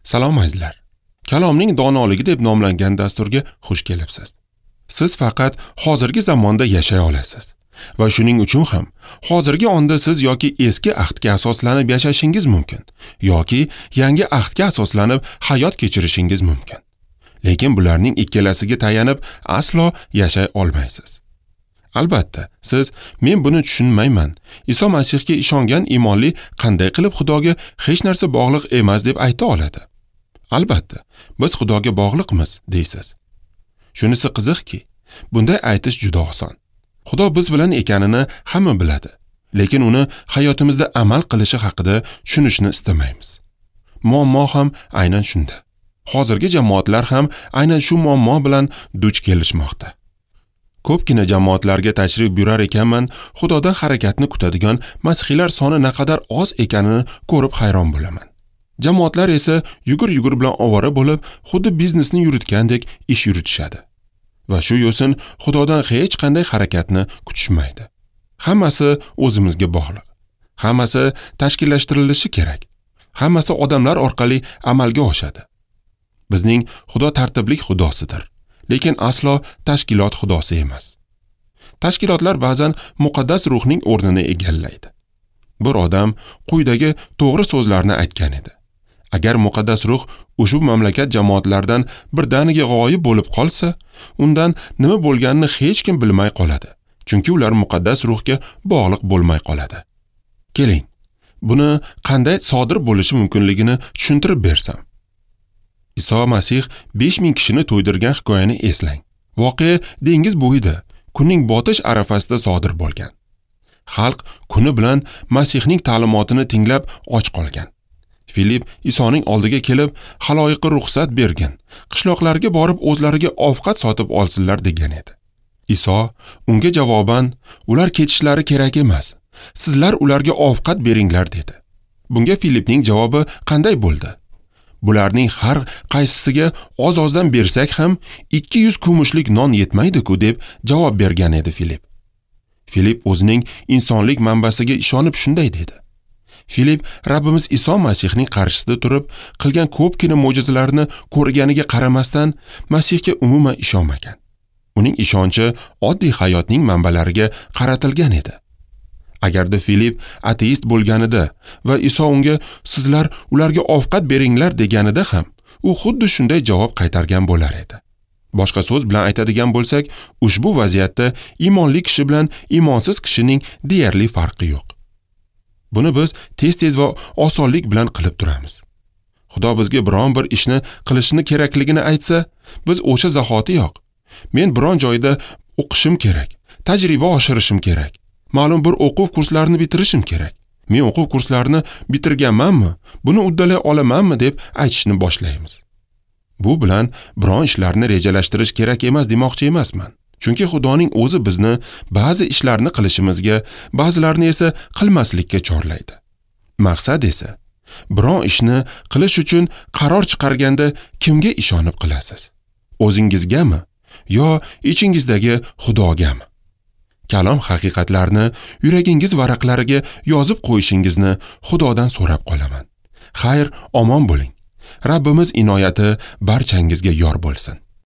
Salom azizlar. Kalomning donoligi deb nomlangan dasturga xush kelibsiz. Siz faqat hozirgi zamonda yashay olasiz va shuning uchun ham hozirgi onda siz yoki eski ahdga asoslanib yashashingiz mumkin yoki yangi ahdga asoslanib hayot kechirishingiz mumkin. Lekin bularning ikkalasiga tayanib aslo yashay olmaysiz. Albatta, siz men buni tushunmayman. Iso Masihga ishongan iymonli qanday qilib Xudoga hech narsa bog'liq emas deb ayta oladi? Albatta, biz Xudoga bog'liqmiz deysiz. Shunisi qiziqki, bunday aytish juda oson. Xudo biz bilan ekanini hamma biladi, lekin uni hayotimizda amal qilishi haqida tushunishni istamaymiz. Muammo ham aynan shunda. Hozirgi jamoatlar ham aynan shu muammo bilan duch kelishmoqda. Ko'pgina jamoatlarga tashrif buyurar ekanman, Xudodan harakatni kutadigan masihiylar soni naqadar oz ekanini ko'rib hayron bo'laman. Jamoatlar esa yugur-yugur bilan ovora bo'lib, xuddi biznesni yuritgandek ish yuritishadi. Va shu yo'sin Xudodan hech qanday harakatni kutishmaydi. Hammasi o'zimizga bog'liq. Hammasi tashkillashtirilishi kerak. Hammasi odamlar orqali amalga oshadi. Bizning Xudo tartiblik Xudosidir, lekin aslo tashkilot Xudosi emas. Tashkilotlar ba'zan muqaddas ruhning o'rnini egallaydi. Bir odam quyidagi to'g'ri so'zlarni aytgan edi. Agar muqaddas ruh ushbu mamlakat jamoatlaridan birdaniga g'oyib bo'lib qolsa, undan nima bo'lganini hech kim bilmay qoladi. Chunki ular muqaddas ruhga bog'liq bo'lmay qoladi. Keling, buni qanday sodir bo'lishi mumkinligini tushuntirib bersam. Iso Masih 5000 kishini to'ydirgan hikoyani eslang. Voqea dengiz bo'yida, kunning botish arafasida sodir bo'lgan. Xalq kuni bilan Masihning ta'limotini tinglab och qolgan. Filip Isoning oldiga kelib, xaloyiqqa ruxsat bergin, qishloqlarga borib o'zlariga ovqat sotib olsinlar degan edi. Iso unga javoban, ular ketishlari kerak emas, sizlar ularga ovqat beringlar dedi. Bunga Filipning javobi qanday bo'ldi? Bularning har qaysisiga oz-ozdan bersak ham 200 kumushlik non yetmaydi-ku deb javob bergan edi Filip. Filip o'zining insonlik manbasiga ishonib shunday dedi. Filip Rabbimiz Iso Masihning qarshisida turib qilgan ko'pgina mo'jizalarni ko'rganiga qaramasdan Masihga umuman ishonmagan. Uning ishonchi oddiy hayotning manbalariga qaratilgan edi. Agarda Filip ateist bo'lganida va Iso unga sizlar ularga ovqat beringlar deganida ham u xuddi shunday javob qaytargan bo'lar edi. Boshqa so'z bilan aytadigan bo'lsak, ushbu vaziyatda iymonli kishi bilan iymonsiz kishining deyarli farqi yo'q. Buni biz tez-tez va osonlik bilan qilib turamiz. Xudo bizga biron bir ishni qilishni kerakligini aytsa, biz o'sha zahotiyoq men biron joyda o'qishim kerak, tajriba oshirishim kerak, ma'lum bir o'quv kurslarini bitirishim kerak. Men o'quv kurslarini bitirganmanmi, buni uddalay olamanmi deb aytishni boshlaymiz. Bu bilan biron ishlarni rejalashtirish kerak emas demoqchi emasman. Chunki Xudoning o'zi bizni ba'zi ishlarni qilishimizga, ba'zilarini esa qilmaslikka chorlaydi. Maqsad esa biron ishni qilish uchun qaror chiqarganda kimga ishonib qilasiz? O'zingizgami yo ichingizdagi Xudogami? Kalom haqiqatlarini yuragingiz varaqlariga yozib qo'yishingizni Xudodan so'rab qolaman. Xayr, omon bo'ling. Rabbimiz inoyati barchangizga yor bo'lsin.